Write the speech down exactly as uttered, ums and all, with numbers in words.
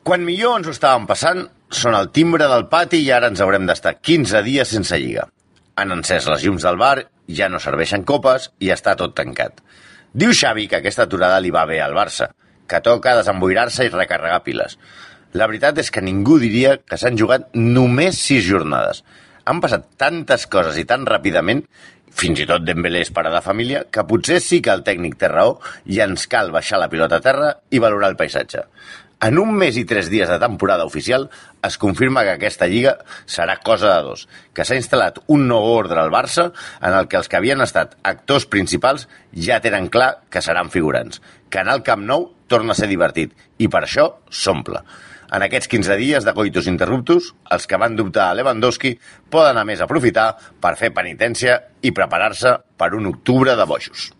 Quan millor ens ho estàvem passant, són el timbre del pati i ara ens haurem d'estar quinze dies sense lliga. Han encès les llums del bar, ja no serveixen copes i està tot tancat. Diu Xavi que aquesta aturada li va bé al Barça, que toca desemboirar-se i recarregar piles. La veritat és que ningú diria que s'han jugat només sis jornades. Han passat tantes coses i tan ràpidament, fins i tot Dembélé és pare de família, que potser sí que el tècnic té raó i ens cal baixar la pilota a terra i valorar el paisatge. En un mes i tres dies de temporada oficial es confirma que aquesta lliga serà cosa de dos, que s'ha instal·lat un nou ordre al Barça en el que els que havien estat actors principals ja tenen clar que seran figurants, que anar al Camp Nou torna a ser divertit i per això s'omple. En aquests quinze dies de coitus interruptus, els que van dubtar a Lewandowski poden a més aprofitar per fer penitència i preparar-se per un octubre de bojos.